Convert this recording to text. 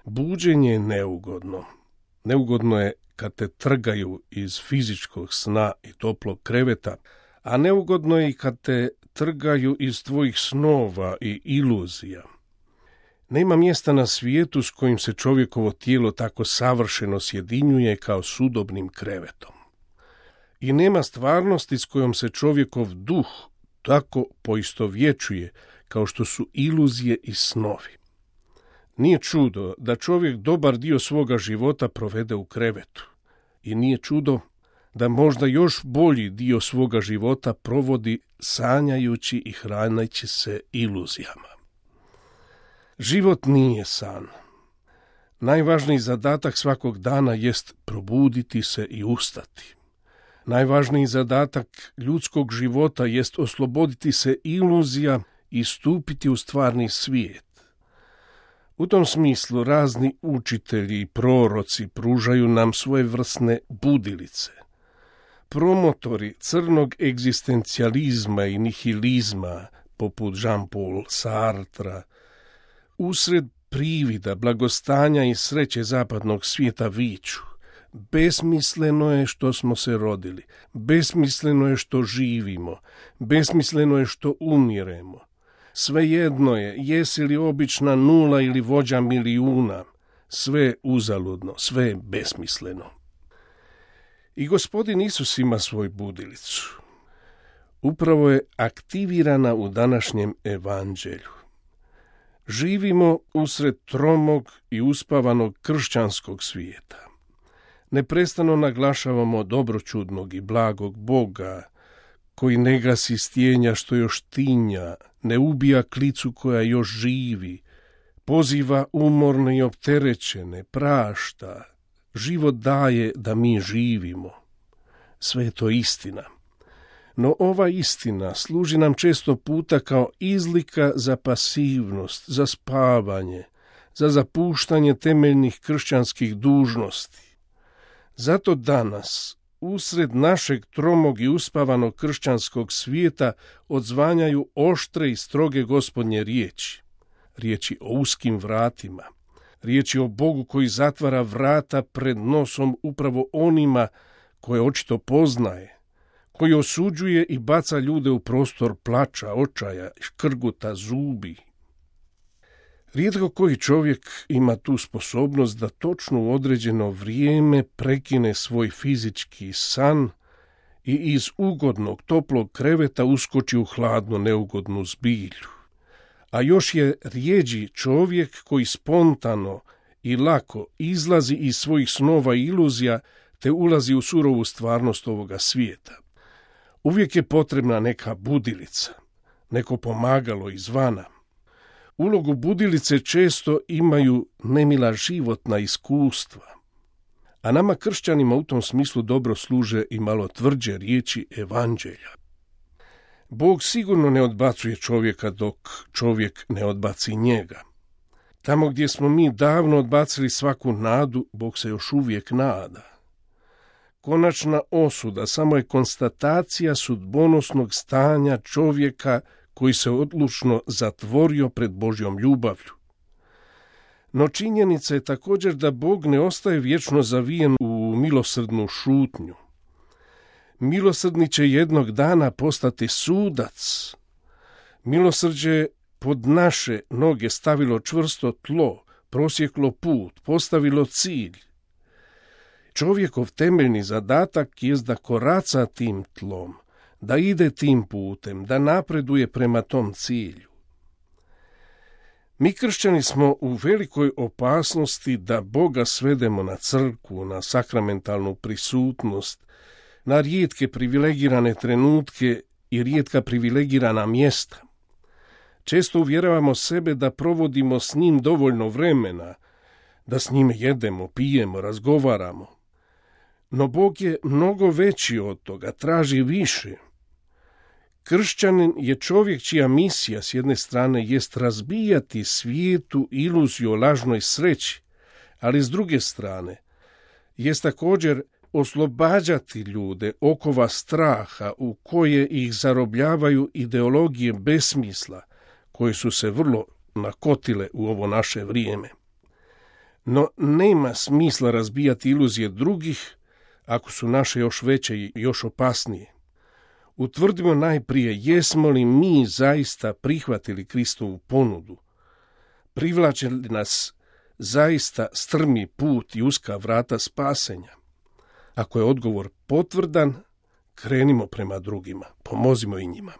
Buđenje je neugodno. Neugodno je kad te trgaju iz fizičkog sna i toplog kreveta, a neugodno je i kad te trgaju iz tvojih snova i iluzija. Nema mjesta na svijetu s kojim se čovjekovo tijelo tako savršeno sjedinjuje kao s udobnim krevetom. I nema stvarnosti s kojom se čovjekov duh tako poistovjećuje kao što su iluzije i snovi. Nije čudo da čovjek dobar dio svoga života provede u krevetu. I nije čudo da možda još bolji dio svoga života provodi sanjajući i hraneći se iluzijama. Život nije san. Najvažniji zadatak svakog dana jest probuditi se i ustati. Najvažniji zadatak ljudskog života jest osloboditi se iluzija i stupiti u stvarni svijet. U tom smislu razni učitelji i proroci pružaju nam svojevrsne budilice. Promotori crnog egzistencijalizma i nihilizma, poput Jean-Paul Sartra, usred privida, blagostanja i sreće zapadnog svijeta viču: besmisleno je što smo se rodili, besmisleno je što živimo, besmisleno je što umiremo. Svejedno je, jesi li obična nula ili vođa milijuna, sve je uzaludno, sve je besmisleno. I Gospodin Isus ima svoju budilicu. Upravo je aktivirana u današnjem evanđelju. Živimo usred tromog i uspavanog kršćanskog svijeta. Neprestano naglašavamo dobročudnog i blagog Boga, koji ne gasi stjenja što još tinja, ne ubija klicu koja još živi, poziva umorne i opterećene, prašta, život daje da mi živimo. Sve je to istina. No ova istina služi nam često puta kao izlika za pasivnost, za spavanje, za zapuštanje temeljnih kršćanskih dužnosti. Zato danas, usred našeg tromog i uspavanog kršćanskog svijeta, odzvanjaju oštre i stroge Gospodnje riječi. Riječi o uskim vratima. Riječi o Bogu koji zatvara vrata pred nosom upravo onima koje očito poznaje, koji osuđuje i baca ljude u prostor plača, očaja, škrguta, zubi. Rijetko koji čovjek ima tu sposobnost da točno u određeno vrijeme prekine svoj fizički san i iz ugodnog, toplog kreveta uskoči u hladno, neugodnu zbilju. A još je rjeđi čovjek koji spontano i lako izlazi iz svojih snova i iluzija te ulazi u surovu stvarnost ovoga svijeta. Uvijek je potrebna neka budilica, neko pomagalo izvana. Ulogu budilice često imaju nemila životna iskustva, a nama kršćanima u tom smislu dobro služe i malo tvrđe riječi evanđelja. Bog sigurno ne odbacuje čovjeka dok čovjek ne odbaci njega. Tamo gdje smo mi davno odbacili svaku nadu, Bog se još uvijek nada. Konačna osuda samo je konstatacija sudbonosnog stanja čovjeka koji se odlučno zatvorio pred Božjom ljubavlju. No činjenica je također da Bog ne ostaje vječno zavijen u milosrdnu šutnju. Milosrdni će jednog dana postati sudac. Milosrđe pod naše noge stavilo čvrsto tlo, prosjeklo put, postavilo cilj. Čovjekov temeljni zadatak jest da koraca tim tlom, da ide tim putem, da napreduje prema tom cilju. Mi kršćani smo u velikoj opasnosti da Boga svedemo na crkvu, na sakramentalnu prisutnost, na rijetke privilegirane trenutke i rijetka privilegirana mjesta. Često uvjeravamo sebe da provodimo s njim dovoljno vremena, da s njime jedemo, pijemo, razgovaramo. No Bog je mnogo veći od toga, traži više. Kršćanin je čovjek čija misija s jedne strane jest razbijati svijetu iluziju o lažnoj sreći, ali s druge strane jest također oslobađati ljude okova straha u koje ih zarobljavaju ideologije besmisla koje su se vrlo nakotile u ovo naše vrijeme. No nema smisla razbijati iluzije drugih ako su naše još veće i još opasnije. Utvrdimo najprije jesmo li mi zaista prihvatili Kristovu ponudu. Privlače li nas zaista strmi put i uska vrata spasenja? Ako je odgovor potvrdan, krenimo prema drugima, pomozimo i njima.